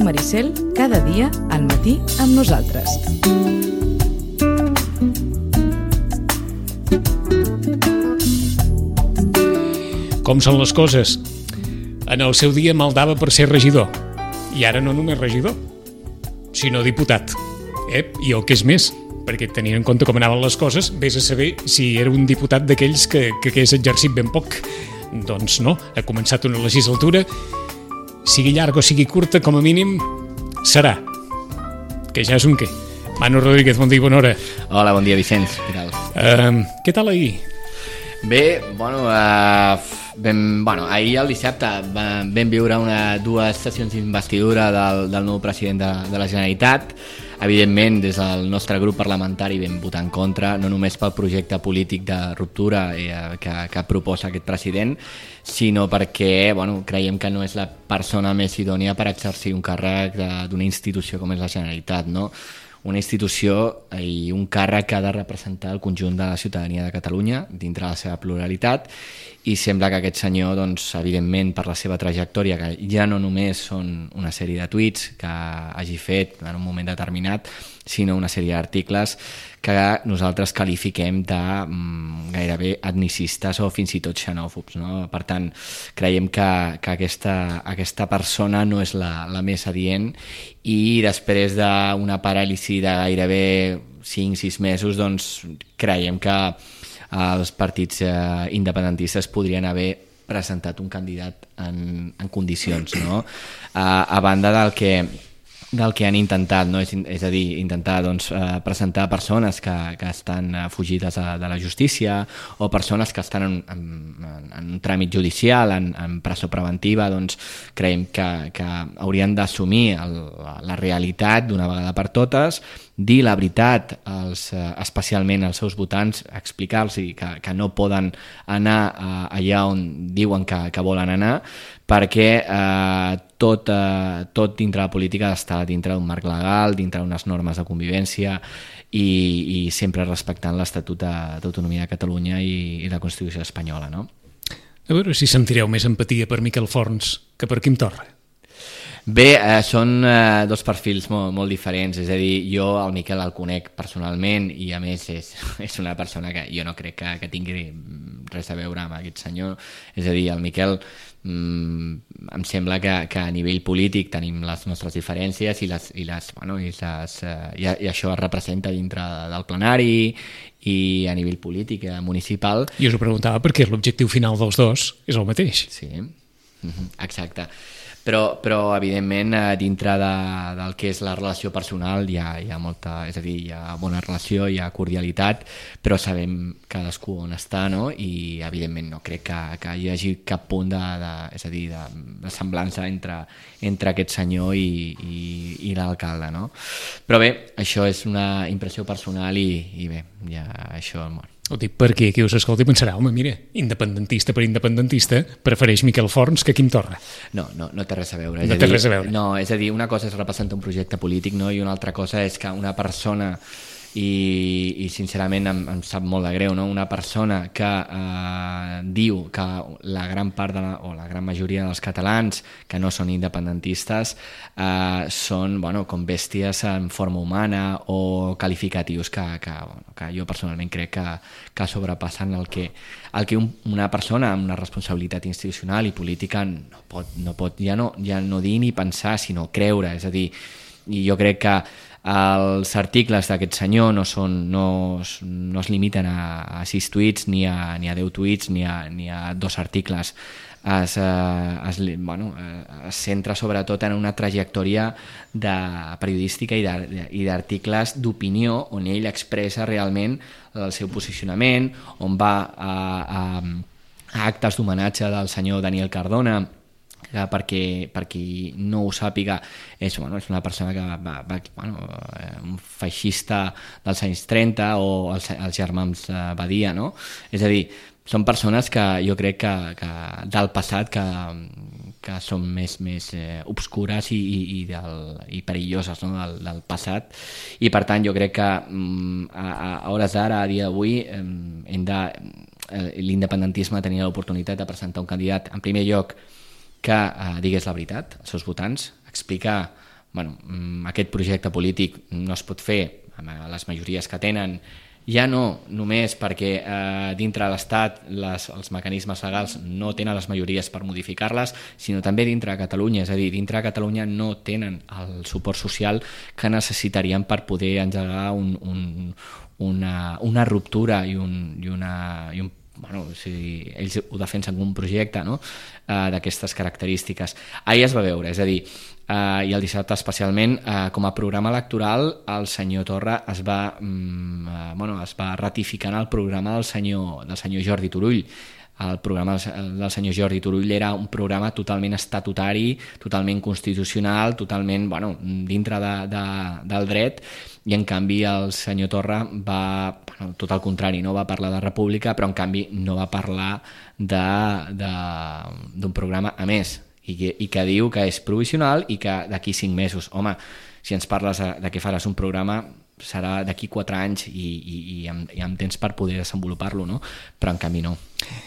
Ràdio Maricel, cada dia al matí amb nosaltres. Com són les coses? En el seu dia maldava per ser regidor. I ara no només regidor, sinó diputat. I el que és més, perquè tenint en compte com anaven les coses, vés a saber si era un diputat d'aquells que hagués exercit ben poc. Doncs no, ha començat una legislatura, sigui llarga o sigui curta, com a mínim serà. Que ja és un què. Manu Rodríguez, bon dia i bona hora. Hola, bon dia, Vicenç. Què tal? Què tal ahir? Bé, ahir el dissabte vam viure dues sessions d'investidura del nou president de la Generalitat. Evidentment, des del nostre grup parlamentari vam votar en contra, no només pel projecte polític de ruptura que proposa aquest president, sinó perquè creiem que no és la persona més idònia per exercir un càrrec d'una institució com és la Generalitat, no? Una institució i un càrrec que ha de representar el conjunt de la ciutadania de Catalunya dintre la seva pluralitat, i sembla que aquest senyor, doncs, evidentment, per la seva trajectòria, que ja no només són una sèrie de tuits que hagi fet en un moment determinat, sinó una sèrie d'articles que nosaltres qualifiquem de gairebé etnicistes o fins i tot xenòfobs, no? Per tant, creiem que aquesta persona no és la més adient, i després d'una paràlisi de gairebé 5-6 mesos, doncs creiem que els partits independentistes podrien haver presentat un candidat en condicions, no? A banda del que han intentat, no? És a dir, intentar presentar persones que estan fugides de la justícia, o persones que estan en un tràmit judicial, en presó preventiva. Doncs creiem que haurien d'assumir la realitat d'una vegada per totes, dir la veritat especialment als seus votants, explicar-los que no poden anar allà on diuen que volen anar, perquè tot dintre la política ha d'estar dintre d'un marc legal, dintre d'unes normes de convivència, i sempre respectant l'Estatut d'Autonomia de Catalunya i la Constitució espanyola, no? A veure si sentireu més empatia per Miquel Forns que per Quim Torra. Bé, són dos perfils molt diferents. És a dir, jo el Miquel el conec personalment, i a més és una persona que jo no crec que tingui res a veure amb aquest senyor. És a dir, el Miquel em sembla que a nivell polític tenim les nostres diferències, i això es representa dintre del plenari i a nivell polític municipal. I us ho preguntava perquè l'objectiu final dels dos és el mateix. Sí, exacte. Però evidentment, dintre del que és la relació personal hi ha molta, és a dir, hi ha bona relació, hi ha cordialitat, però sabem cadascú on està, no? I evidentment no crec que hi hagi cap punt de semblança entre aquest senyor i l'alcalde, no? Però bé, això és una impressió personal, i bé, ja això... Ho dic perquè qui us escolti pensarà, home, mira, independentista per independentista, prefereix Miquel Forns que Quim Torra. No té res a veure. No té res a veure. No, és a dir, una cosa és representar un projecte polític, no? I una altra cosa és que una persona, i sincerament em sap molt de greu, no? Una persona que diu que la gran part o la gran majoria dels catalans que no són independentistes són com bèsties en forma humana, o qualificatius que jo personalment crec que sobrepassen el que una persona amb una responsabilitat institucional i política no pot ja no dir ni pensar, sinó creure. És a dir, i jo crec que els articles d'aquest senyor no es limiten a 6 tuits, ni a 10 tuits, ni a 2 articles. Es centra sobretot en una trajectòria periodística i d'articles d'opinió, on ell expressa realment el seu posicionament, on va a actes d'homenatge del senyor Daniel Cardona, que per qui no ho sàpiga és una persona que un feixista dels anys 30, o els germans Badia, no? És a dir, són persones que jo crec que del passat que són més obscures i perilloses, no? del passat, i per tant jo crec que a hores d'ara, a dia d'avui, l'independentisme tenia l'oportunitat de presentar un candidat, en primer lloc, que digués la veritat als seus votants, explicar aquest projecte polític no es pot fer amb les majories que tenen, ja no només perquè dintre de l'Estat els mecanismes legals no tenen les majories per modificar-les, sinó també dintre de Catalunya, és a dir, dintre de Catalunya no tenen el suport social que necessitarien per poder engegar una ruptura i un ells ho defensen com un projecte, no? D'aquestes característiques. Ahir es va veure, és a dir, i el dissabte especialment, com a programa electoral el senyor Torra es va ratificar en el programa del senyor Jordi Turull. El programa del senyor Jordi Turull era un programa totalment estatutari, totalment constitucional, totalment dintre del dret, i en canvi el senyor Torra va, tot el contrari, no va parlar de república, però en canvi no va parlar d'un programa a més, i que diu que és provisional i que d'aquí 5 mesos. Home, si ens parles de què faràs un programa, serà d'aquí 4 anys i amb temps per poder desenvolupar-lo, no? Però en canvi no.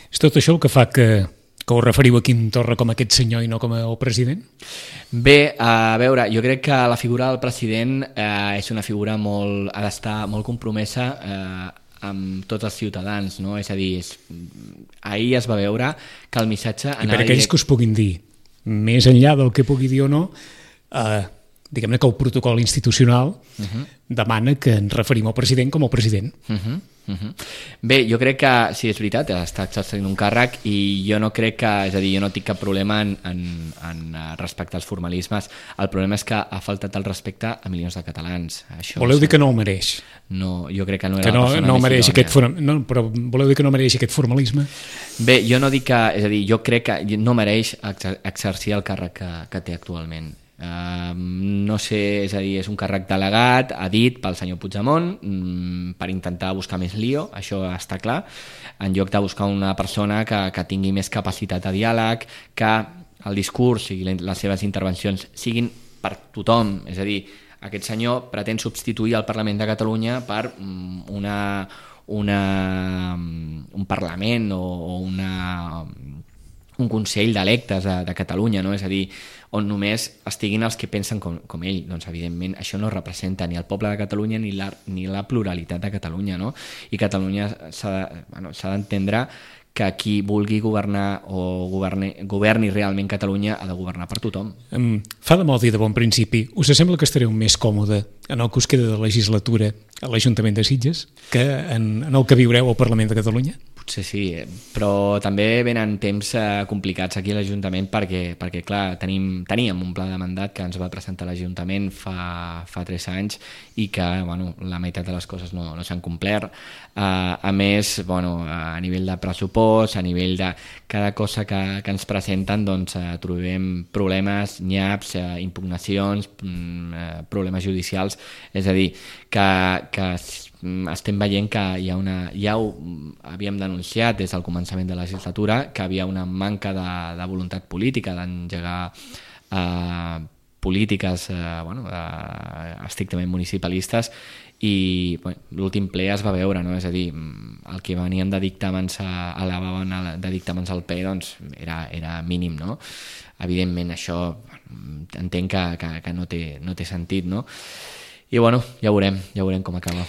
És tot això el que fa que ho referiu a Quim Torra com aquest senyor i no com el president? Bé, a veure, jo crec que la figura del president és una figura ha d'estar molt compromesa amb tots els ciutadans, no? És a dir, ahir es va veure que el missatge... I per aquells que us puguin dir, més enllà del que pugui dir o no, diguem-ne que el protocol institucional demana que ens referim al president com el president. Bé, jo crec que sí, és veritat, està exercint un càrrec i jo no crec que, és a dir, jo no tinc cap problema en respectar els formalismes. El problema és que ha faltat el respecte a milions de catalans. Voleu dir que no el mereix? No, jo crec que no era la persona no mereix però voleu dir que no mereix aquest formalisme? Bé, jo no dic que, és a dir, jo crec que no mereix exercir el càrrec que té actualment. No sé, és a dir, és un càrrec delegat, ha dit pel senyor Puigdemont, per intentar buscar més lío, això està clar, en lloc de buscar una persona que tingui més capacitat de diàleg, que el discurs i les seves intervencions siguin per tothom. És a dir, aquest senyor pretén substituir el Parlament de Catalunya per un Parlament o un Consell d'electes de Catalunya, no? És a dir, on només estiguin els que pensen com ell. Doncs, evidentment, això no representa ni el poble de Catalunya ni la pluralitat de Catalunya, no? I Catalunya s'ha d'entendre que qui vulgui governar o governi realment Catalunya ha de governar per tothom. Fa de mal dir de bon principi, us sembla que estareu més còmode en el que us queda de legislatura a l'Ajuntament de Sitges que en el que viureu al Parlament de Catalunya? Potser sí, però també venen temps complicats aquí a l'Ajuntament perquè clar, teníem un pla de mandat que ens va presentar l'Ajuntament fa 3 anys i que la meitat de les coses no s'han complert. A més, a nivell de pressupost, a nivell de cada cosa que ens presenten, doncs trobem problemes, nyaps, impugnacions, problemes judicials. És a dir, que estem veient que ja ho havíem denunciat des del començament de la legislatura, que havia una manca de voluntat política d'engegar polítiques estrictament municipalistes, i l'últim ple es va veure, no? És a dir, el que venien de dictàmens de dictàmens al PE, doncs era mínim, no? Evidentment això entenc que no té sentit, no? I ja veurem com acaba.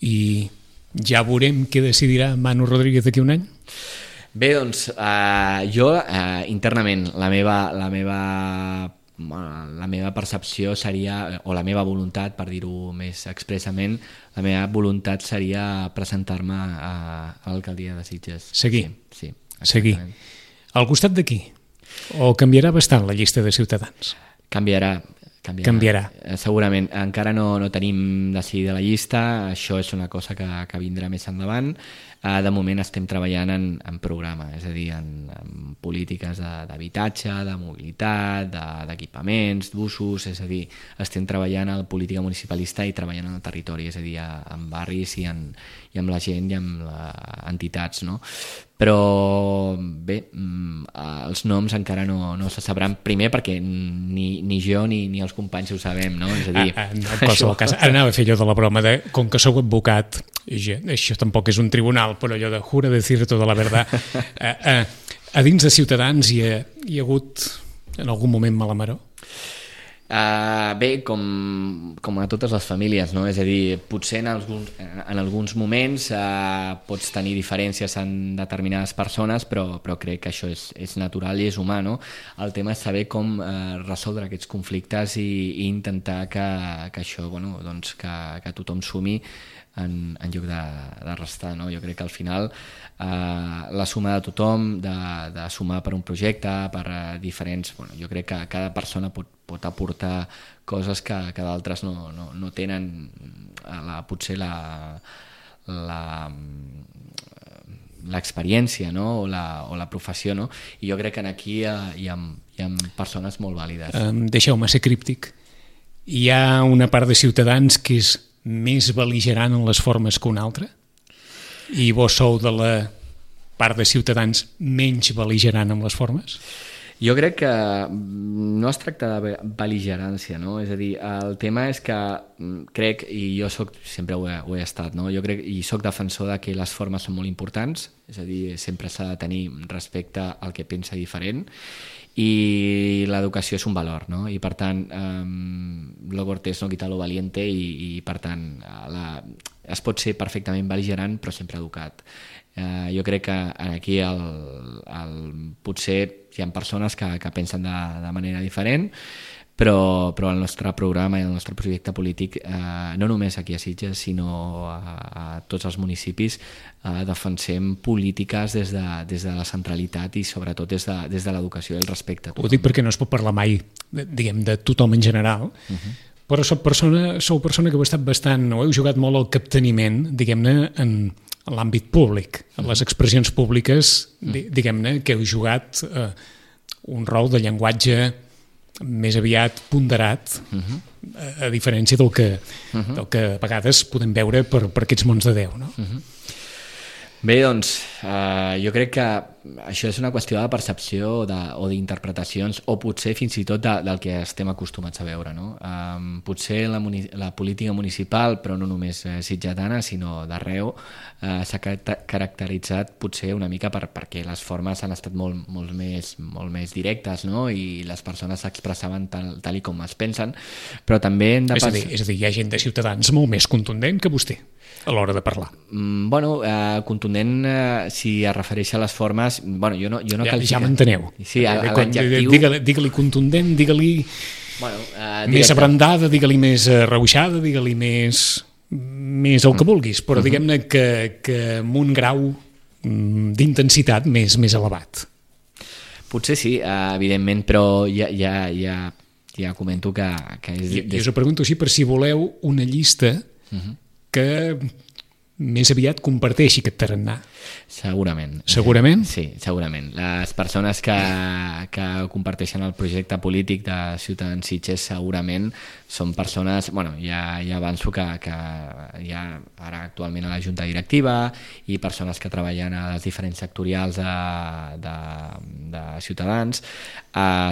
I ja veurem què decidirà Manu Rodríguez d'aquí un any? Bé, doncs jo internament la meva percepció seria, o la meva voluntat, per dir-ho més expressament, la meva voluntat seria presentar-me a l'alcaldia de Sitges. Seguir? Sí. Seguir. Al costat d'aquí? O canviarà bastant la llista de Ciutadans? Canviarà. Segurament. Encara no tenim decidida la llista, això és una cosa que vindrà més endavant. De moment estem treballant en programa, és a dir, en polítiques d'habitatge, de mobilitat, d'equipaments, d'usos, és a dir, estem treballant en política municipalista i treballant en el territori, és a dir, en barris i amb la gent i amb entitats, no? Però bé, els noms encara no se sabran, primer perquè ni jo ni els companys ho sabem, no? És a dir, en qualsevol cas, ara anava a fer allò de la broma de com que sou advocat, això tampoc és un tribunal, però allò de jura decir tota la verdad. A dins de Ciutadans hi ha hagut en algun moment mala maror? Bé, com a totes les famílies, no? És a dir, potser en alguns moments pots tenir diferències en determinades persones, però crec que això és natural i és humà, no? El tema és saber com resoldre aquests conflictes i intentar que això, bueno, doncs que tothom sumi en lloc de restar, no? Jo crec que al final la suma de tothom, de sumar per un projecte, per diferents... Bueno, jo crec que cada persona pot aportar coses que d'altres no tenen potser l'experiència, no? o la professió, no? I jo crec que aquí hi ha persones molt vàlides. Deixeu-me ser críptic. Hi ha una part de ciutadans que és més bel·ligerant en les formes que una altra? I vos sou de la part de ciutadans menys bel·ligerant en les formes? Jo crec que no es tracta de bel·ligerància, no? És a dir, el tema és que crec, i jo sempre ho he estat, no? Jo crec i soc defensor de que les formes són molt importants, és a dir, sempre s'ha de tenir respecte al que pensa diferent, i l'educació és un valor, no? I per tant, lo cortés no quita lo valiente, i per tant es pot ser perfectament bel·ligerant però sempre educat. Jo crec que aquí potser hi ha persones que pensen de manera diferent, però el nostre programa i el nostre projecte polític, no només aquí a Sitges sinó a tots els municipis, defensem polítiques des de la centralitat i sobretot des de l'educació i el respecte a tothom. Ho dic perquè no es pot parlar mai, diguem, de tothom en general, però sou persona que heu estat bastant, o heu jugat molt al capteniment, diguem-ne, en l'àmbit públic, en les expressions públiques, diguem-ne, que heu jugat un rol de llenguatge més aviat ponderat, a diferència del que a vegades podem veure per aquests mons de Déu, no? Bé, doncs, jo crec que això és una qüestió de percepció o d'interpretacions, o potser fins i tot del que estem acostumats a veure, no? Potser la política municipal, però no només sitgetana, sinó d'arreu, s'ha caracteritzat potser una mica perquè les formes han estat molt més directes, no? I les persones s'expressaven tal com es pensen, però també hem de pensar... És a dir, hi ha gent de Ciutadans molt més contundent que vostè a l'hora de parlar. Bueno, contundent, si es refereix a les formes, bueno, jo no ja m'enteneu. Sí, l'adjectiu... Digue-li contundent, digue-li més abrandada, digue-li més arreuixada, digue-li més el que vulguis, però diguem-ne que amb un grau d'intensitat més elevat. Potser sí, evidentment, però ja comento que és... I us ho pregunto així per si voleu una llista que més aviat comparteixi aquest tarannà. Segurament. Segurament? Sí, segurament. Les persones que comparteixen el projecte polític de Ciutadans Sitges segurament són persones, bueno, ja avanço que hi ha ara actualment a la Junta Directiva i persones que treballen a les diferents sectorials de Ciutadans.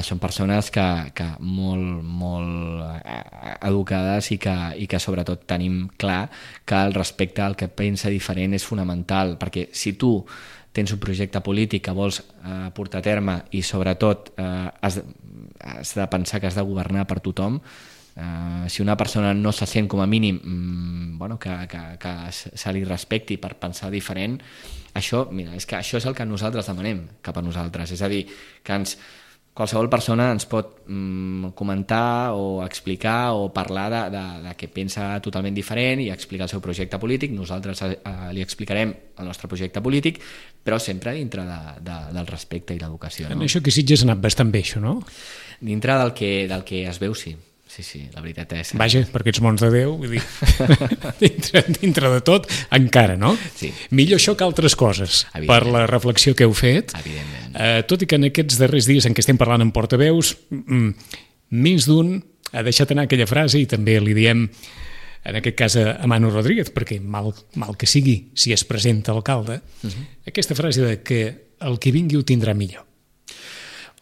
Són persones que molt educades i que sobretot tenim clar que el respecte al que pensa diferent és fonamental, perquè si tu tens un projecte polític que vols portar a terme i sobretot has de pensar que has de governar per tothom, si una persona no se sent com a mínim que se li respecti per pensar diferent, això és el que nosaltres demanem cap a nosaltres, és a dir, que qualsevol persona ens pot comentar o explicar o parlar de que pensa totalment diferent i explicar el seu projecte polític. Nosaltres li explicarem el nostre projecte polític, però sempre dintre del respecte i l'educació. En això que Sitges ha anat bastant bé, això, no? Dintre del que es veu, sí. Sí, la veritat és... Vaja, per aquests mons de Déu, vull dir, dintre de tot, encara, no? Sí. Millor això que altres coses, per la reflexió que heu fet. Evidentment. Tot i que en aquests darrers dies en què estem parlant en portaveus, més d'un ha deixat anar aquella frase, i també li diem, en aquest cas a Manu Rodríguez, perquè mal que sigui, si es presenta alcalde, aquesta frase de que el que vingui ho tindrà millor.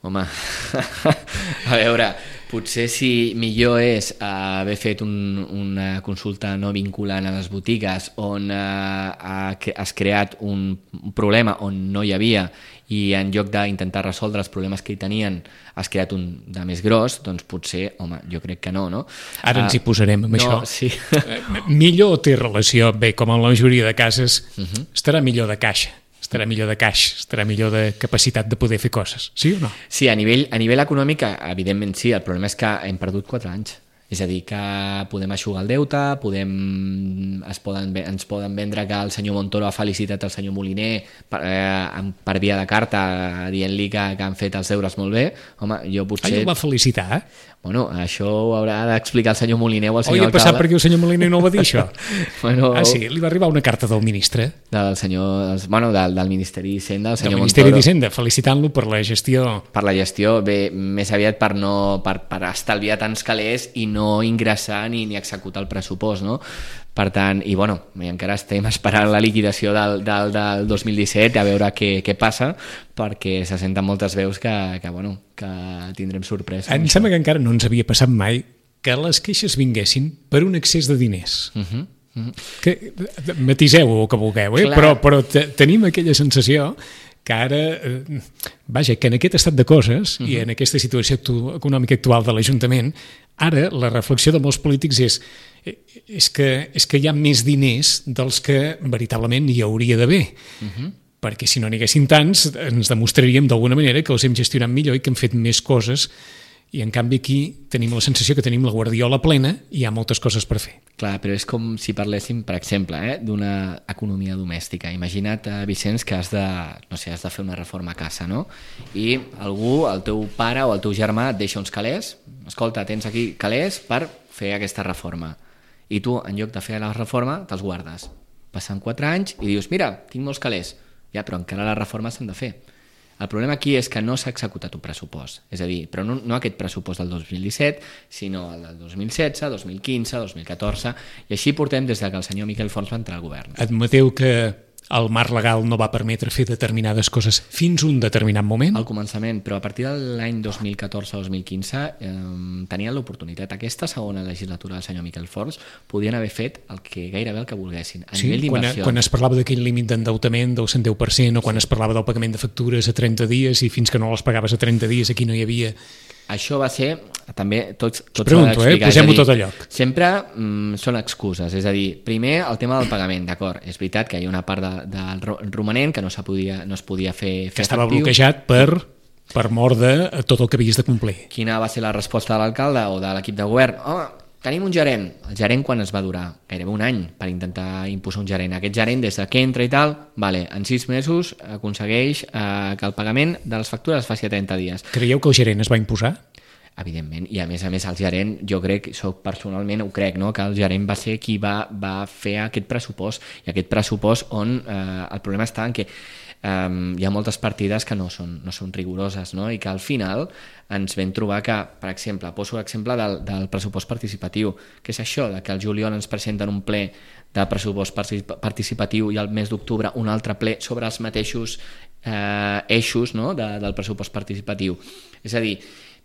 Home, a veure, Potser si millor és haver fet una consulta no vinculant a les botigues on has creat un problema on no hi havia i en lloc d'intentar resoldre els problemes que hi tenien has creat un de més gros, doncs potser, home, jo crec que no, no? Ara ens hi posarem amb això. Sí. Millor té relació, bé, com en la majoria de cases, estarà millor de caixa, estarà millor de caix, estarà millor de capacitat de poder fer coses, sí o no? Sí, a nivell econòmic, evidentment sí, el problema és que hem perdut 4 anys. És a dir, que podem eixugar el deute, ens poden vendre que el senyor Montoro ha felicitat el senyor Moliner per via de carta, dient-li que han fet els deures molt bé. Home, jo potser... Ell el va felicitar, eh? Bueno, això ho haurà d'explicar el senyor Moliner o el senyor alcalde. Passat perquè el senyor Moliner no ho va dir, això? Bueno, sí, li va arribar una carta del ministre. Del senyor... Bueno, del Ministeri d'Hisenda, el senyor Montoro. Del Ministeri d'Hisenda, felicitant-lo per la gestió. Per la gestió, bé, més aviat per estalviar tants calés i no ingressar ni executar el pressupost, no? Per tant, i bueno, encara estem esperant la liquidació del 2017 a veure què passa, perquè se senten moltes veus que tindrem sorpresa. Em sembla que encara no ens havia passat mai que les queixes vinguessin per un excés de diners. Que, matiseu-ho que vulgueu, però tenim aquella sensació que ara, vaja, que en aquest estat de coses i en aquesta situació econòmica actual de l'Ajuntament, ara la reflexió de molts polítics és que hi ha més diners dels que veritablement hi hauria d'haver. Perquè si no n'hi haguessin tants, ens demostraríem d'alguna manera que els hem gestionat millor i que hem fet més coses, i en canvi aquí tenim la sensació que tenim la guardiola plena i hi ha moltes coses per fer. Clar, però és com si parléssim, per exemple, d'una economia domèstica. Imagina't, Vicenç, que has de fer una reforma a casa, no? I algú, el teu pare o el teu germà, et deixa uns calés. Escolta, tens aquí calés per fer aquesta reforma. I tu, en lloc de fer la reforma, te'ls guardes. Passen 4 anys i dius, mira, tinc molts calés. Ja, però encara les reformes s'han de fer. El problema aquí és que no s'ha executat un pressupost. És a dir, però no aquest pressupost del 2017, sinó el del 2016, 2015, 2014, i així portem des que el senyor Miquel Forns va entrar al govern. Admeteu que el marc legal no va permetre fer determinades coses fins un determinat moment? Al començament, però a partir de l'any 2014-2015 tenien l'oportunitat. Aquesta segona legislatura del senyor Miquel Forns podien haver fet gairebé el que volguessin. A nivell d'inversió. Quan es parlava d'aquell límit d'endeutament del 110%, o quan es parlava del pagament de factures a 30 dies i fins que no les pagaves a 30 dies aquí no hi havia... Això va ser, també, tots pregunto, posem-ho tot a lloc. Sempre són excuses, és a dir, primer el tema del pagament, d'acord, és veritat que hi ha una part del romanent que no es podia fer que estava bloquejat per mort de tot el que havies de complir. Quina va ser la resposta de l'alcalde o de l'equip de govern? Home, tenim un gerent. El gerent quan es va durar? Gairebé un any per intentar imposar un gerent. Aquest gerent, des que entra i tal, en 6 mesos aconsegueix que el pagament de les factures es faci a 30 dies. Creieu que el gerent es va imposar? Evidentment, i a més el gerent, jo crec, personalment ho crec, no? Que el gerent va ser qui va fer aquest pressupost, i aquest pressupost on el problema està en que hi ha moltes partides que no són rigoroses, no? I que al final ens vam trobar que, per exemple, poso l'exemple del pressupost participatiu, que és això, que el juliol ens presenten un ple de pressupost participatiu i al mes d'octubre un altre ple sobre els mateixos eixos, no? del pressupost participatiu. És a dir,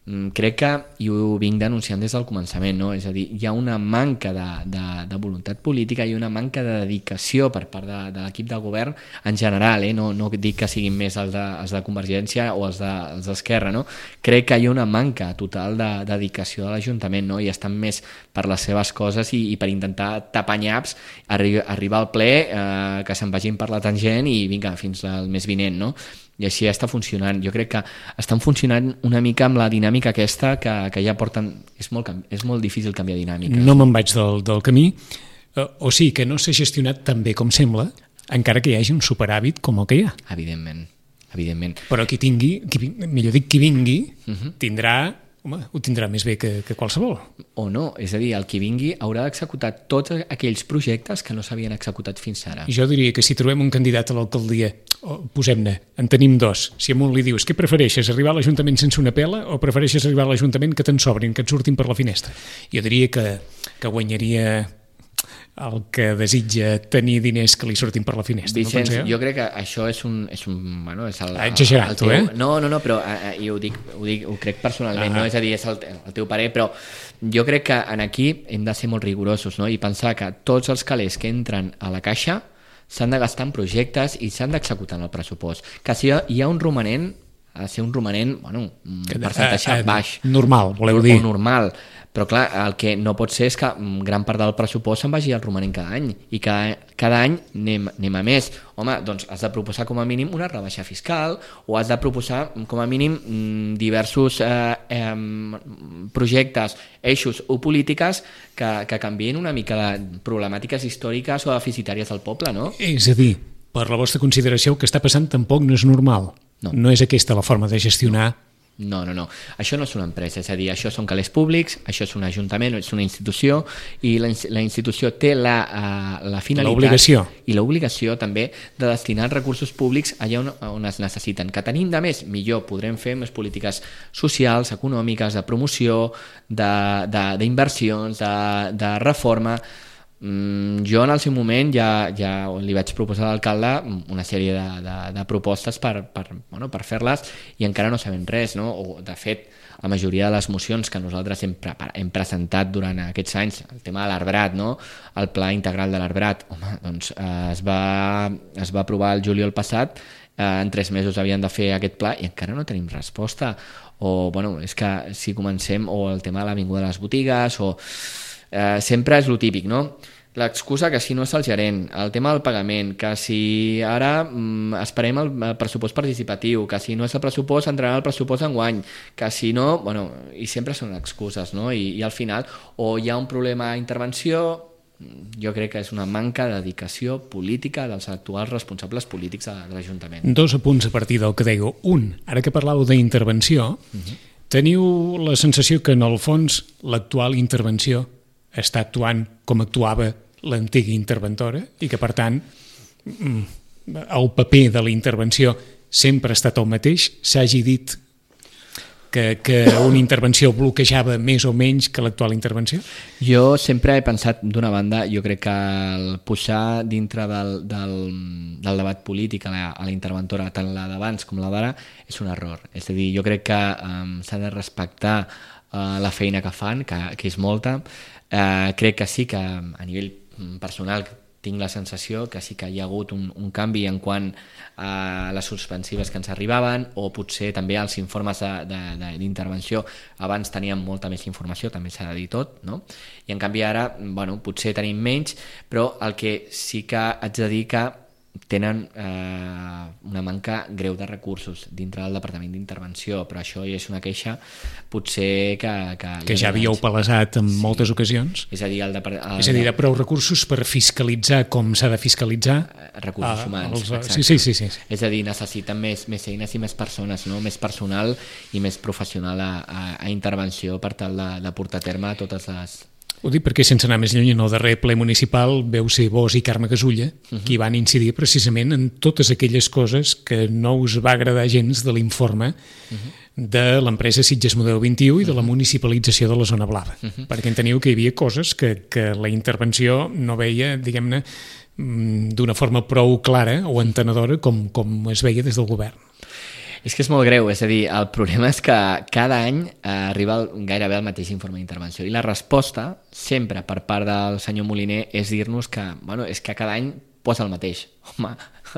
crec que, i ho vinc denunciant des del començament, no? És a dir, hi ha una manca de voluntat política i una manca de dedicació per part de l'equip de govern en general, no dic que siguin més els de Convergència o els d'Esquerra, no? Crec que hi ha una manca total de dedicació de l'Ajuntament, no? I estan més per les seves coses i per intentar tapar nyaps, arribar al ple, que se'n vagin per la tangent i vinga, fins al mes vinent, no? I així està funcionant. Jo crec que estan funcionant una mica amb la dinàmica aquesta que ja porten... És molt difícil canviar dinàmica. No me'n vaig del camí. O sigui que no s'ha gestionat tan bé com sembla, encara que hi hagi un superàvit com el que hi ha. Evidentment. Però qui vingui, tindrà... Home, ho tindrà més bé que qualsevol. O no, és a dir, el qui vingui haurà d'executar tots aquells projectes que no s'havien executat fins ara. Jo diria que si trobem un candidat a l'alcaldia, posem-ne, en tenim 2, si a un li dius, què prefereixes, arribar a l'Ajuntament sense una pela o prefereixes arribar a l'Ajuntament que te'n sobrin, que et surtin per la finestra? Jo diria que guanyaria el que desitja tenir diners que li surtin per la finestra. Vicenç, no jo crec que això és exagerat, el teu, eh? No, però i ho crec personalment, no? És a dir, és el teu parer, però jo crec que en aquí hem de ser molt rigorosos, no? I pensar que tots els calés que entren a la caixa s'han de gastar en projectes i s'han d'executar en el pressupost. Que si hi ha un romanent, ha de ser un romanent, un percentatge baix. Normal, voleu dir. O normal. Però clar, el que no pot ser és que gran part del pressupost se'n vagi al romanent cada any i cada any anem a més. Home, doncs has de proposar com a mínim una rebaixa fiscal o has de proposar com a mínim diversos projectes, eixos o polítiques que canvien una mica de problemàtiques històriques o deficitàries del poble, no? És a dir, per la vostra consideració, el que està passant tampoc no és normal. No és aquesta la forma de gestionar. No. Això no és una empresa, és a dir, això són calés públics, això és un ajuntament, és una institució i la institució té la finalitat i l'obligació també de destinar recursos públics allà on es necessiten. Que tenim de més, millor, podrem fer més polítiques socials, econòmiques, de promoció, d'inversions, de reforma. Jo en el seu moment ja li vaig proposar a l'alcalde una sèrie de propostes per fer-les i encara no sabem res, no? O, de fet, la majoria de les mocions que nosaltres hem presentat durant aquests anys, el tema de l'arbrat, no? El pla integral de l'arbrat, home, doncs es va aprovar el juliol passat, en 3 mesos havien de fer aquest pla i encara no tenim resposta. O, és que si comencem, o el tema de l'avinguda de les botigues, o sempre és lo típic, no? L'excusa que si no és el gerent, el tema del pagament, que si ara esperem el pressupost participatiu, que si no és el pressupost entrarà el pressupost enguany, que si no, i sempre són excuses, no? I al final o hi ha un problema d'intervenció, jo crec que és una manca de dedicació política dels actuals responsables polítics de l'Ajuntament. 2 apunts a partir del que dèieu. Un, ara que parlàveu d'intervenció, teniu la sensació que en el fons l'actual intervenció està actuant com actuava l'antiga interventora i que, per tant, el paper de la intervenció sempre ha estat el mateix. S'hagi dit que una intervenció bloquejava més o menys que l'actual intervenció? Jo sempre he pensat, d'una banda, jo crec que el posar dintre del debat polític a la interventora, tant la d'abans com la d'ara, és un error. És a dir, jo crec que s'ha de respectar la feina que fan, que és molta. Crec que sí que a nivell personal tinc la sensació que sí que hi ha hagut un canvi en quant a les suspensives que ens arribaven, o potser també els informes d'intervenció. Abans teníem molta més informació, també s'ha de dir tot, no? I en canvi ara, potser tenim menys, però el que sí que haig de dir que tenen una manca greu de recursos dintre del Departament d'Intervenció, però això ja és una queixa potser que ja havíeu palesat en moltes ocasions. És a dir, de prou recursos per fiscalitzar com s'ha de fiscalitzar recursos humans. Sí. És a dir, necessiten més eines i més persones, no? Més personal i més professional a intervenció per tal de portar a terme totes les... Ho dic perquè, sense anar més lluny, en el darrer ple municipal veu ser vos i Carme Gasulla qui van incidir precisament en totes aquelles coses que no us va agradar gens de l'informe de l'empresa Sitges Model 21 i de la municipalització de la zona blava, perquè enteniu que hi havia coses que la intervenció no veia, diguem-ne, d'una forma prou clara o entenedora com es veia des del govern. És que és molt greu, és a dir, el problema és que cada any arriba gairebé el mateix informe d'intervenció i la resposta sempre per part del senyor Moliner és dir-nos que, és que cada any posa el mateix. Home,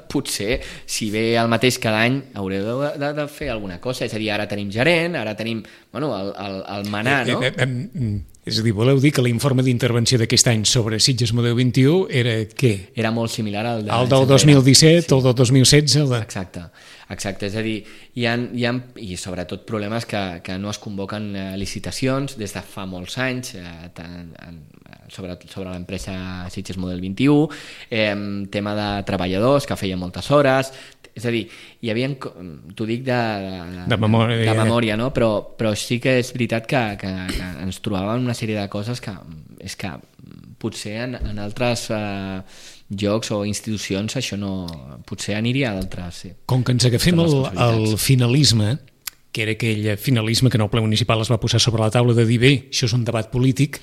potser si ve el mateix cada any haureu de fer alguna cosa, és a dir, ara tenim gerent, ara tenim el manar, no? És a dir, voleu dir que l'informe d'intervenció d'aquest any sobre Sitges Model 21 era què? Era molt similar al del 2017, el del 2016... Exacte, és a dir, hi ha i sobretot problemes que no es convoquen licitacions des de fa molts anys sobre l'empresa Sitges Model 21, tema de treballadors que feien moltes hores, és a dir, hi havia, t'ho dic de memòria, no? Però sí que és veritat que ens trobàvem una sèrie de coses que és que potser en altres jocs o institucions això no... potser aniria a d'altres. Sí. Com que ens agafem el finalisme, que era aquell finalisme que en el ple municipal es va posar sobre la taula de dir bé, això és un debat polític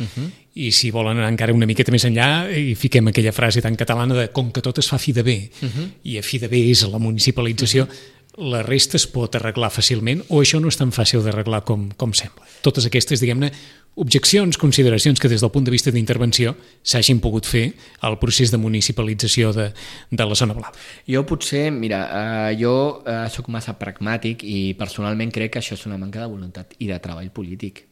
i si volen anar encara una miqueta més enllà i fiquem aquella frase tan catalana de com que tot es fa a fi de bé i a fi de bé és la municipalització, la resta es pot arreglar fàcilment o això no és tan fàcil d'arreglar com sembla. Totes aquestes, diguem-ne, objeccions, consideracions que des del punt de vista d'intervenció s'hagin pogut fer al procés de municipalització de la zona blava. Jo potser, mira, jo sóc massa pragmàtic i personalment crec que això és una manca de voluntat i de treball polític.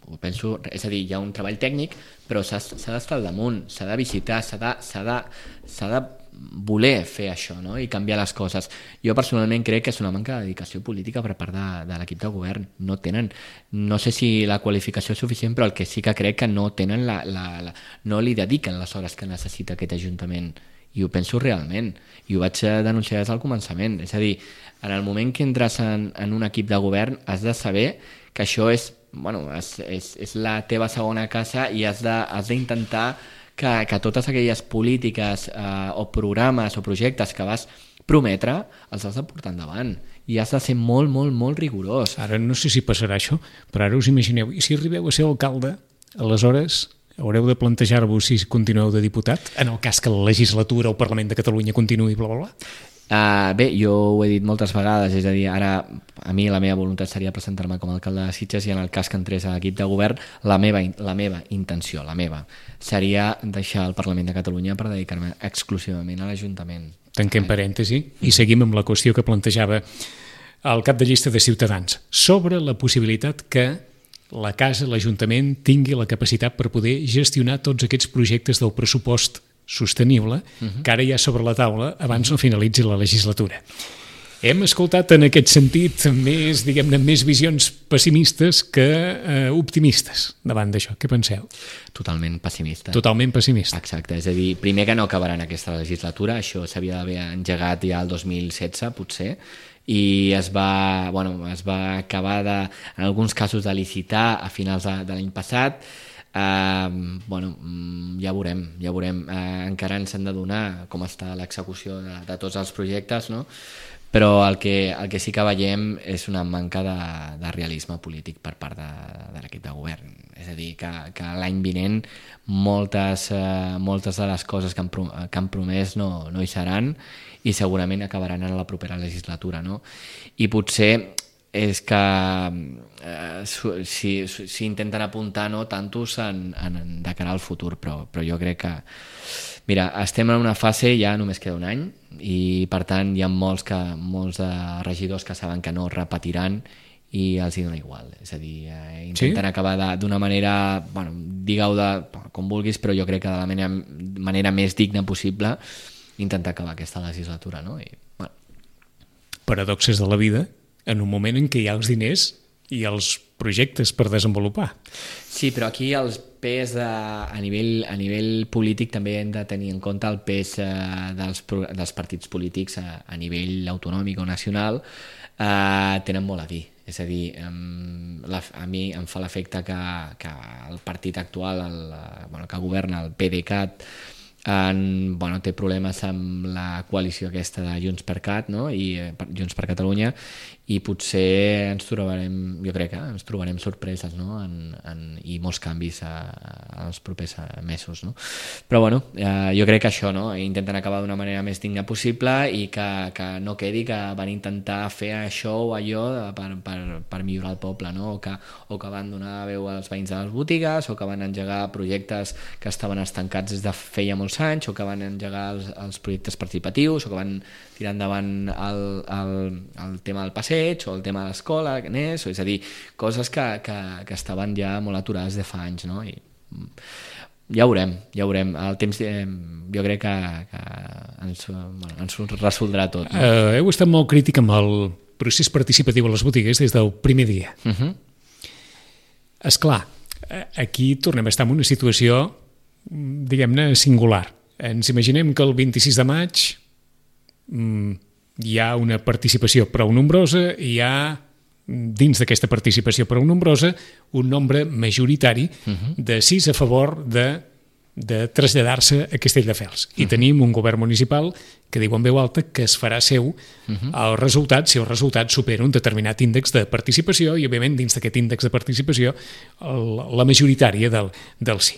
Ho penso, és a dir, hi ha un treball tècnic, però s'ha d'estar al damunt, s'ha de visitar, s'ha de voler fer això, no? I canviar les coses. Jo personalment crec que és una manca de dedicació política per part de l'equip de govern. No tenen, no sé si la qualificació és suficient, però el que sí que crec que no tenen no li dediquen les hores que necessita aquest Ajuntament. I ho penso realment. I ho vaig denunciar des del començament. És a dir, en el moment que entres en un equip de govern has de saber que això és la teva segona casa i has d'intentar que totes aquelles polítiques o programes o projectes que vas prometre els has de portar endavant i has de ser molt, molt, molt rigorós. Ara no sé si passarà això, però ara us imagineu, i si arribeu a ser alcalde, aleshores haureu de plantejar-vos si continueu de diputat, en el cas que la legislatura o el Parlament de Catalunya continuï, bla, bla, bla. Bé, jo ho he dit moltes vegades, és a dir, ara a mi la meva voluntat seria presentar-me com a alcalde de Sitges i en el cas que entrés a l'equip de govern la meva intenció, seria deixar el Parlament de Catalunya per dedicar-me exclusivament a l'Ajuntament. Tanquem parèntesi i seguim amb la qüestió que plantejava el cap de llista de Ciutadans sobre la possibilitat que la casa, l'Ajuntament, tingui la capacitat per poder gestionar tots aquests projectes del pressupost sostenible que ara hi ha sobre la taula abans no finalitzi la legislatura. Hem escoltat en aquest sentit més, diguem-ne, més visions pessimistes que optimistes davant d'això. Què penseu? Totalment pessimista. Totalment pessimista. Exacte, és a dir, primer que no acabarà en aquesta legislatura, això s'havia d'haver engegat ja el 2016, potser, i es va acabar en alguns casos de licitar a finals de l'any passat. Ja veurem. Encara ens han de donar com està l'execució de tots els projectes, no? Però el que sí que veiem és una manca de realisme polític per part de l'equip de govern. És a dir, que l'any vinent moltes de les coses que han promès no hi seran i segurament acabaran en la propera legislatura, no? I potser és que si intenten apuntar no tantos de cara al futur, però jo crec que mira, estem en una fase, ja només queda un any i per tant hi ha molts de regidors que saben que no repetiran i els hi dona igual, és a dir, intenten acabar d'una manera, digue-ho com vulguis, però jo crec que de la manera més digna possible intentar acabar aquesta legislatura, no? Paradoxes de la vida en un moment en què hi ha els diners i els projectes per desenvolupar. Sí, però aquí el pes a nivell polític també hem de tenir en compte el pes dels partits polítics a nivell autonòmic o nacional tenen molt a dir. És a dir, a mi em fa l'efecte que el partit actual, que governa, el PDeCAT, té problemes amb la coalició aquesta de Junts per Cat, no? I Junts per Catalunya, i potser jo crec que ens trobarem sorpreses, no? I molts canvis als propers mesos, no? Però jo crec que això, no? Intenten acabar d'una manera més digna possible i que no quedi que van intentar fer això o allò per millorar el poble, no? O que van donar veu als veïns de les botigues, o que van engegar projectes que estaven estancats des de feia molts anys, o que van engegar els projectes participatius, o que van tirar endavant el tema del passeig o el tema de l'escola, és a dir, coses que estaven ja molt aturades de fa anys, no? I ja veurem. El temps jo crec que ens resoldrà tot, no? Heu estat molt crític amb el procés participatiu a les botigues des del primer dia. Esclar, aquí tornem a estar en una situació, diguem-ne, singular. Ens imaginem que el 26 de maig hi ha una participació prou nombrosa i hi ha, dins d'aquesta participació prou nombrosa, un nombre majoritari de 6 a favor de de traslladar-se a Castelldefels. I tenim un govern municipal que diu en veu alta que es farà seu el resultat si el resultat supera un determinat índex de participació i, òbviament, dins d'aquest índex de participació, la majoritària del sí.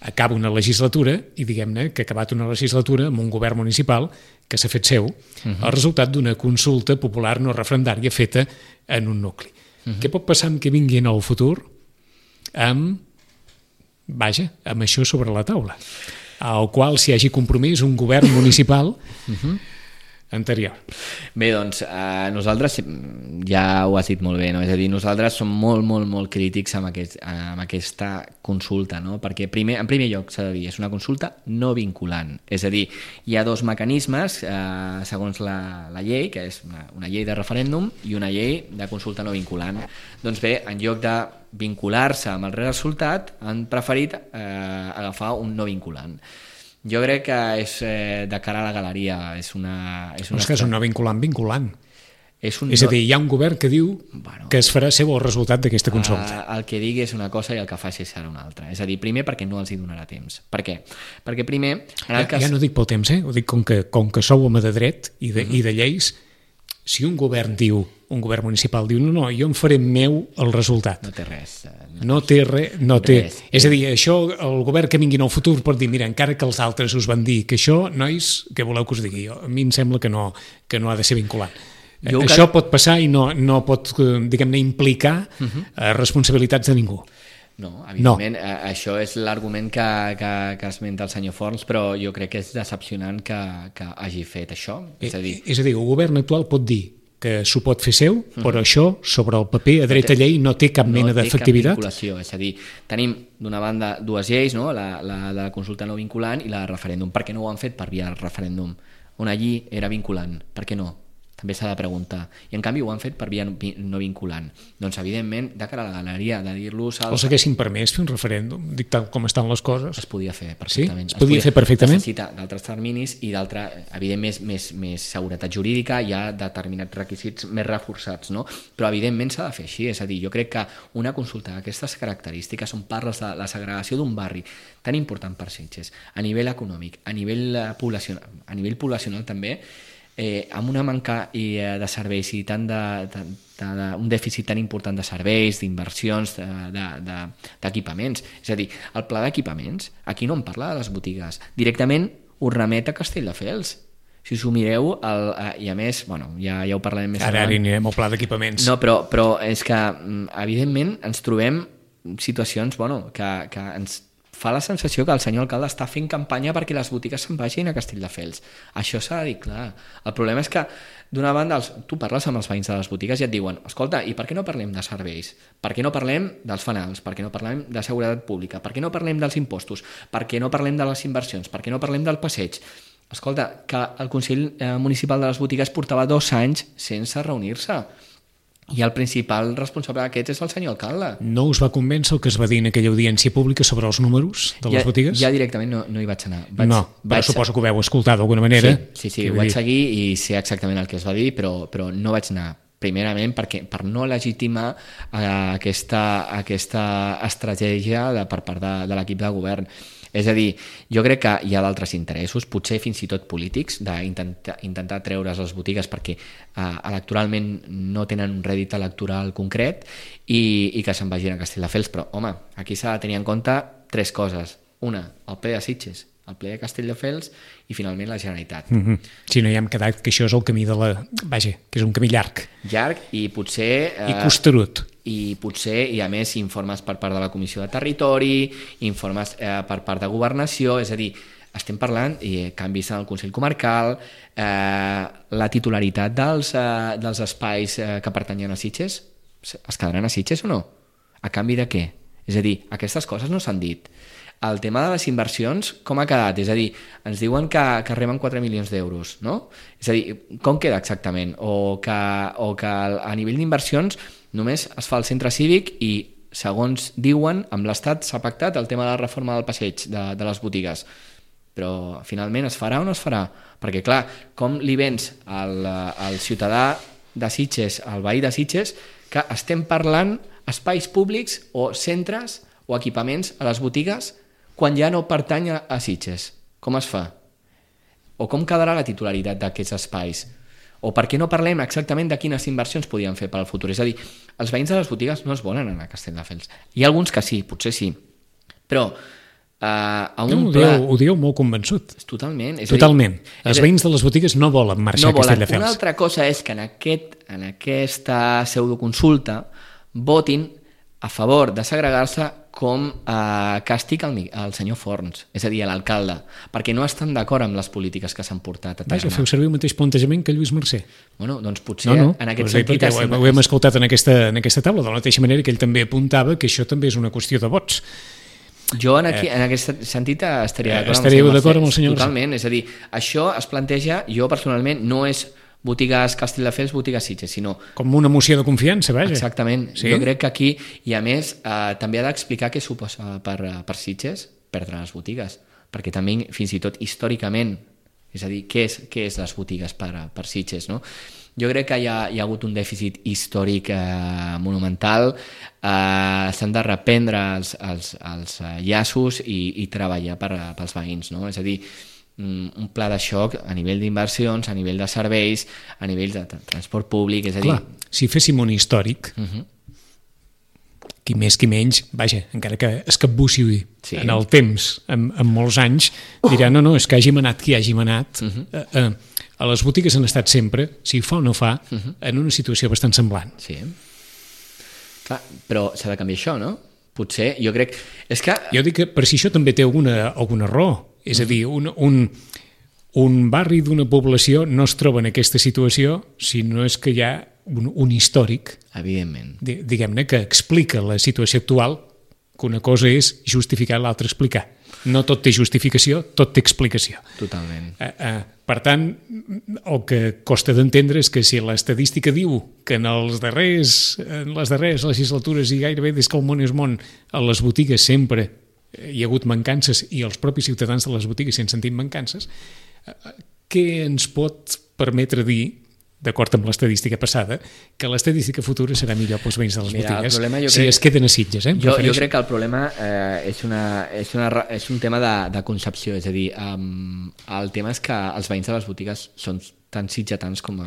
Acaba una legislatura i diguem-ne que ha acabat una legislatura amb un govern municipal que s'ha fet seu el resultat d'una consulta popular no referendària feta en un nucli. Què pot passar amb què vingui en el futur amb això sobre la taula, al qual s'hi hagi compromès un govern municipal anterior? Bé, doncs, nosaltres, ja ho has dit molt bé, no? És a dir, nosaltres som molt, molt, molt crítics amb aquesta consulta, no? Perquè en primer lloc s'ha de dir, és una consulta no vinculant, és a dir, hi ha dos mecanismes segons la llei, que és una llei de referèndum i una llei de consulta no vinculant. Doncs bé, en lloc de vincular-se amb el resultat, han preferit agafar un no vinculant. Jo crec que és de cara a la galeria. És que és un no vinculant. És a dir, hi ha un govern que diu que es farà seu el resultat d'aquesta consulta. El que digui és una cosa i el que faci serà una altra. És a dir, primer perquè no els hi donarà temps. Per què? Perquè primer... Ja no dic pel temps, ho dic com que sou home de dret i de lleis. Si un govern municipal diu no, jo em faré meu el resultat. No té res. No té res. És a dir, això el govern que vingui en el futur pot dir, mira, encara que els altres us van dir que això, nois, què voleu que us digui? A mi em sembla que no ha de ser vinculant. Això pot passar i no pot, diguem-ne, implicar responsabilitats de ningú. No, evidentment, això és l'argument que esmenta el senyor Forns, però jo crec que és decepcionant que hagi fet això. És a dir, el govern actual pot dir que s'ho pot fer seu, però això, sobre el paper, a dret a llei, no té cap mena d'efectivitat. No té cap vinculació, és a dir, tenim d'una banda dues lleis, no? la de consulta no vinculant i la de referèndum. Per què no ho han fet per via referèndum? Una llei era vinculant, per què no? També s'ha de preguntar. I en canvi ho han fet per via no vinculant. Doncs evidentment, de cara a la galeria, de dir-los... Els haguessin permès fer un referèndum, dic tal com estan les coses. Es podia fer perfectament. Sí? Es podia fer perfectament? Necessita d'altres terminis i d'altra, evidentment, més seguretat jurídica, hi ha determinats requisits més reforçats, no? Però evidentment s'ha de fer així, és a dir, jo crec que una consulta d'aquestes característiques on parles de la segregació d'un barri tan important per Sitges, a nivell econòmic, a nivell poblacional també, amb una manca de serveis i un dèficit tan important de serveis, d'inversions, d'equipaments. És a dir, el pla d'equipaments, aquí no en parla de les botigues, directament ho remet a Castelldefels. Si us ho mireu, i a més, ja ho parlarem més Ara anirem al pla d'equipaments. No, però és que, evidentment, ens trobem situacions que ens fa la sensació que el senyor alcalde està fent campanya perquè les botigues se'n vagin a Castelldefels. Això s'ha de dir clar. El problema és que, d'una banda, tu parles amb els veïns de les botigues i et diuen, escolta, i per què no parlem de serveis? Per què no parlem dels fanals? Per què no parlem de seguretat pública? Per què no parlem dels impostos? Per què no parlem de les inversions? Per què no parlem del passeig? Escolta, que el Consell Municipal de les Botigues portava 2 anys sense reunir-se. I el principal responsable d'aquest és el senyor alcalde. No us va convèncer el que es va dir en aquella audiència pública sobre els números de les botigues? Ja directament no hi vaig anar. Però suposo que ho veu escoltar d'alguna manera. Sí, ho vaig seguir i sé exactament el que es va dir, però no vaig anar. Primerament per no legitimar aquesta estratègia per part de l'equip de govern. És a dir, jo crec que hi ha d'altres interessos, potser fins i tot polítics, d'intentar treure's les botigues perquè electoralment no tenen un rèdit electoral concret i que se'n vagin a Castelldefels. Però, home, aquí s'ha de tenir en compte 3 coses. Una, el ple de Sitges, el ple de Castelldefels i finalment la Generalitat. Si no hi hem quedat que això és el camí que és un camí llarg. Llarg i potser... I costerut. I potser hi ha més informes per part de la Comissió de Territori, informes per part de Governació, és a dir, estem parlant de canvis en el Consell Comarcal, la titularitat dels espais que pertanyen a Sitges, es quedaran a Sitges o no? A canvi de què? És a dir, aquestes coses no s'han dit. El tema de les inversions, com ha quedat? És a dir, ens diuen que reben 4 milions d'euros, no? És a dir, com queda exactament? O que a nivell d'inversions només es fa el centre cívic i, segons diuen, amb l'Estat s'ha pactat el tema de la reforma del passeig de les botigues. Però finalment es farà o no es farà? Perquè, clar, com li vens al ciutadà de Sitges, al veí de Sitges, que estem parlant espais públics o centres o equipaments a les botigues quan ja no pertany a Sitges? Com es fa? O com quedarà la titularitat d'aquests espais? O per què no parlem exactament de quines inversions podien fer per al futur? És a dir, els veïns de les botigues no es volen anar a Castelldefels. Hi ha alguns que sí, potser sí, però a un pla... Ho dieu molt convençut. Totalment. Totalment. Els veïns de les botigues no volen marxar a Castelldefels. Una altra cosa és que en aquesta pseudoconsulta votin a favor de segregar-se com a càstig al senyor Forns, és a dir, a l'alcalde, perquè no estan d'acord amb les polítiques que s'han portat a terme. Vaja, feu servir el mateix plantejament que Lluís Mercè. Bueno, doncs potser en aquest sentit... Ho hem escoltat en aquesta taula, de la mateixa manera que ell també apuntava que això també és una qüestió de vots. Jo en aquest sentit estaria d'acord amb el senyor Mercè. Totalment, és a dir, això es planteja, jo personalment, no és botigues Castelldefels, botigues Sitges, sinó... Com una moció de confiança, vaja. Exactament. Sí? Jo crec que aquí, i a més, també ha d'explicar què suposa per Sitges perdre les botigues, perquè també, fins i tot històricament, és a dir, què és les botigues per Sitges, no? Jo crec que hi ha hagut un dèficit històric monumental, s'han de reprendre els llaços i treballar pels veïns, no? És a dir, un pla de xoc a nivell d'inversions, a nivell de serveis, a nivell de transport públic, és a dir... Clar, si féssim un històric, qui més qui menys, vaja, encara que es capbussi en el temps, amb molts anys, dirà, no, és que hàgim anat qui hàgim anat. A les botigues han estat sempre, si fa o no fa, en una situació bastant semblant. Sí. Clar, però s'ha de canviar això, no? Potser, jo crec... És que... Jo dic que per si això també té alguna raó. És a dir, un barri d'una població no es troba en aquesta situació si no és que hi ha un històric, evidentment, diguem-ne, que explica la situació actual, que una cosa és justificar, l'altra explicar. No tot té justificació, tot té explicació. Totalment. Per tant, el que costa d'entendre és que si l'estadística diu que en les darreres legislatures i gairebé des que el món és món, a les botigues sempre hi ha hagut mancances i els propis ciutadans de les botigues s'hi han sentit mancances, què ens pot permetre dir, d'acord amb l'estadística passada, que l'estadística futura serà millor pels veïns de les botigues si es queden a Sitges? Jo crec que el problema és un tema de concepció, és a dir, el tema és que els veïns de les botigues són tan sitgetans com...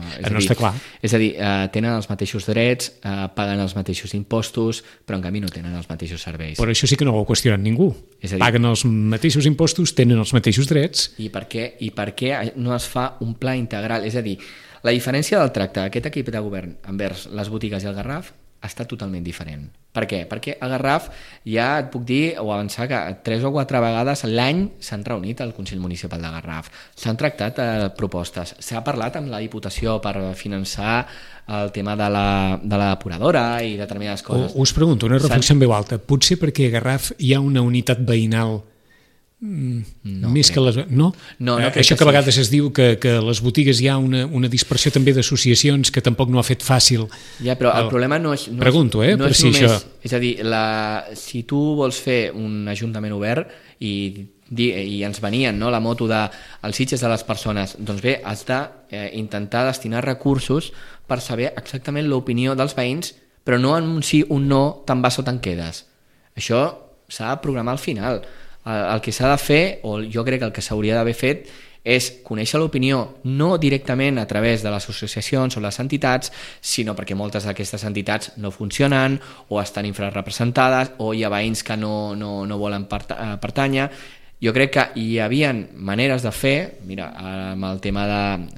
És a dir, tenen els mateixos drets, paguen els mateixos impostos, però en canvi no tenen els mateixos serveis. Però això sí que no ho ha qüestionat ningú. Paguen els mateixos impostos, tenen els mateixos drets... I per què no es fa un pla integral? És a dir, la diferència del tracte d'aquest equip de govern envers les botigues i el Garraf està totalment diferent. Per què? Perquè a Garraf ja et puc dir o avançar que 3 o 4 vegades l'any s'han reunit al Consell Municipal de Garraf, s'han tractat propostes, s'ha parlat amb la Diputació per finançar el tema de la depuradora i determinades coses. Us pregunto, una reflexió en veu alta, potser perquè a Garraf hi ha una unitat veïnal més que les... No? Això que a vegades es diu que a les botigues hi ha una dispersió també d'associacions que tampoc no ha fet fàcil... Ja, però el problema no és... Pregunto, per si només, això... És a dir, si tu vols fer un ajuntament obert i ens venien la moto dels Sitges de les persones, doncs bé, has d'intentar destinar recursos per saber exactament l'opinió dels veïns, però no en un sí, un no, te'n vas o te'n quedes. Això s'ha de programar al final. El que s'ha de fer, o jo crec que el que s'hauria d'haver fet, és conèixer l'opinió no directament a través de les associacions o les entitats, sinó perquè moltes d'aquestes entitats no funcionen o estan infrarrepresentades o hi ha veïns que no volen pertànyer. Jo crec que hi havia maneres de fer, mira, amb el tema de...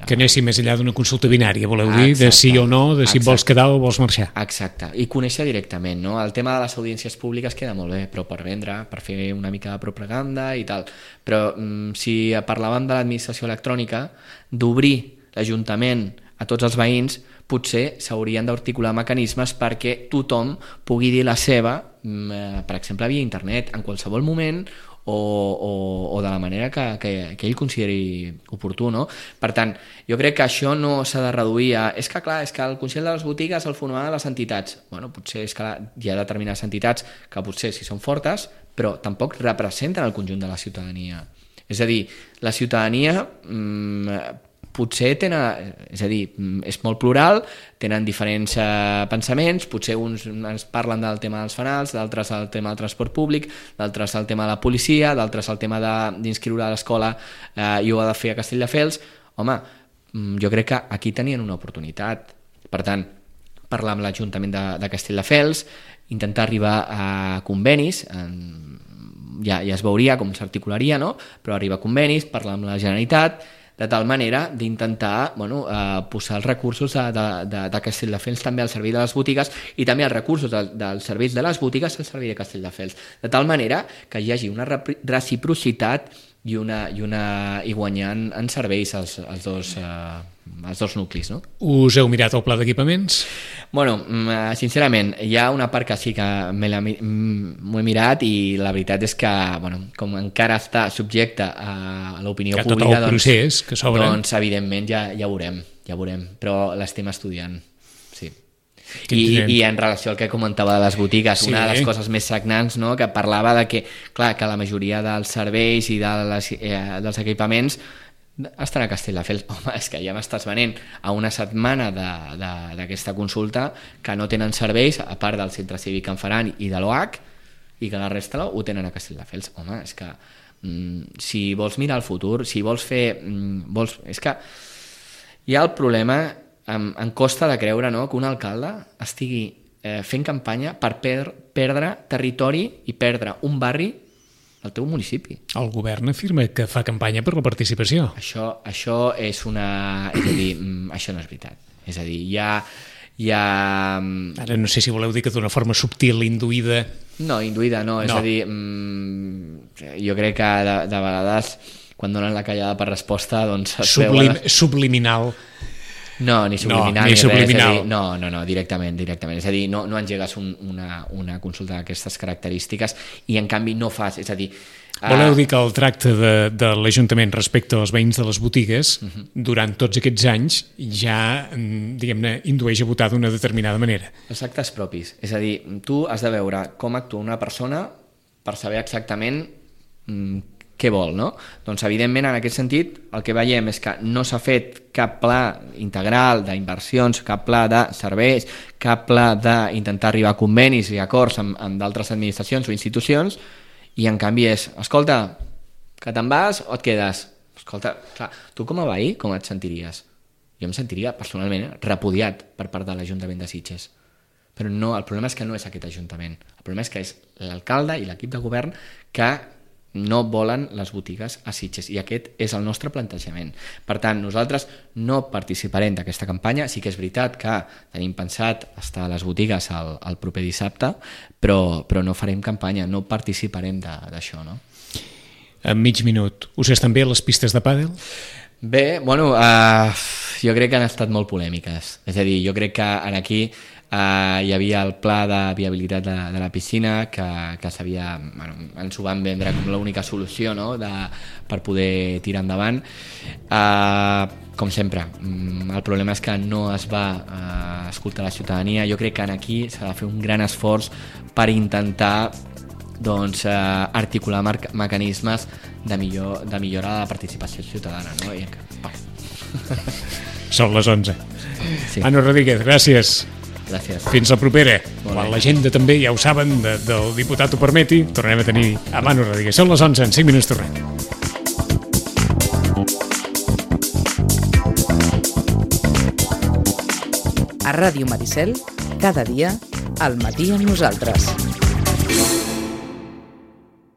Que anéssim més enllà d'una consulta binària, voleu dir, de sí o no, de si vols quedar o vols marxar. Exacte, i conèixer directament, no? El tema de les audiències públiques queda molt bé, però per vendre, per fer una mica de propaganda i tal. Però si parlàvem de l'administració electrònica, d'obrir l'Ajuntament a tots els veïns, potser s'haurien d'articular mecanismes perquè tothom pugui dir la seva, per exemple, via internet, en qualsevol moment o de la manera que ell consideri oportú, no? Per tant, jo crec que això no s'ha de reduir a... És que clar, és que el Consell de les Botigues el formaven les entitats. Bueno, potser és que hi ha determinades entitats que potser sí són fortes, però tampoc representen el conjunt de la ciutadania. És a dir, la ciutadania potser tenen, és a dir, és molt plural, tenen diferents pensaments, potser uns ens parlen del tema dels fanals, d'altres el tema del transport públic, d'altres el tema de la policia, d'altres el tema d'inscriure a l'escola i ho ha de fer a Castelldefels. Home, jo crec que aquí tenien una oportunitat. Per tant, parlar amb l'Ajuntament de Castelldefels, intentar arribar a convenis, ja es veuria com s'articularia, no? Però arribar a convenis, parlar amb la Generalitat, de tal manera d'intentar posar els recursos de Castelldefels també al servei de les botigues i també els recursos dels serveis de les botigues al servei de Castelldefels, de tal manera que hi hagi una reciprocitat i guanyant en serveis els dos nuclis, no? Us heu mirat el pla d'equipaments? Bueno, sincerament, hi ha una part que sí que m'ho he mirat i la veritat és que, com encara està subjecte a l'opinió pública, tot el procés que s'obre, doncs evidentment ja veurem, però l'estem estudiant, sí. I en relació al que comentava de les botigues, una de les coses més sagnants, no?, que parlava de que, clar, que la majoria dels serveis i dels equipaments estan a Castelldefels. Home, és que ja m'estàs venent a una setmana d'aquesta consulta que no tenen serveis, a part del centre cívic que en faran i de l'OH, i que la resta ho tenen a Castelldefels. Home, és que si vols mirar el futur, si vols fer... És que hi ha el problema, em costa de creure, no?, que un alcalde estigui fent campanya per perdre territori i perdre un barri al teu municipi. El govern afirma que fa campanya per la participació. Això és una... És a dir, això no és veritat. És a dir, hi ha... Ara no sé si voleu dir que d'una forma subtil, induïda... No, induïda no. És a dir, jo crec que de vegades, quan donen la callada per resposta, doncs... Subliminal. No, ni subliminal, ni subliminal. Res. No, directament. És a dir, no engegues una consulta d'aquestes característiques i en canvi no fas, és a dir... Voleu dir que el tracte de l'Ajuntament respecte als veïns de les botigues durant tots aquests anys ja, diguem-ne, indueix a votar d'una determinada manera. Els actes propis. És a dir, tu has de veure com actua una persona per saber exactament què vol, no? Doncs, evidentment, en aquest sentit, el que veiem és que no s'ha fet cap pla integral d'inversions, cap pla de serveis, cap pla d'intentar arribar a convenis i acords amb d'altres administracions o institucions, i en canvi és, escolta, que te'n vas o et quedes? Escolta, clar, tu com a veí, com et sentiries? Jo em sentiria, personalment, repudiat per part de l'Ajuntament de Sitges. Però no, el problema és que no és aquest Ajuntament. El problema és que és l'alcalde i l'equip de govern que no volen les botigues a Sitges, i aquest és el nostre plantejament. Per tant, nosaltres no participarem d'aquesta campanya. Sí que és veritat que tenim pensat estar a les botigues el proper dissabte, però no farem campanya, no participarem d'això, no? En mig minut, us estan bé les pistes de pàdel? Bé, jo crec que han estat molt polèmiques. És a dir, jo crec que aquí hi havia el pla de viabilitat de la piscina que s'havia, ens ho van vendre com l'única solució, no?, per poder tirar endavant. Com sempre, el problema és que no es va escoltar la ciutadania. Jo crec que aquí s'ha de fer un gran esforç per intentar articular mecanismes de millora de la participació ciutadana, no? Són les 11. Sí. Manu Rodríguez, gràcies. Gràcies. Fins la propera. Quan l'agenda també, ja ho saben, del diputat ho permeti, tornem a tenir a Manu Rodríguez. Són les 11, en 5 minuts tornem. A Ràdio Maricel, cada dia, al matí amb nosaltres.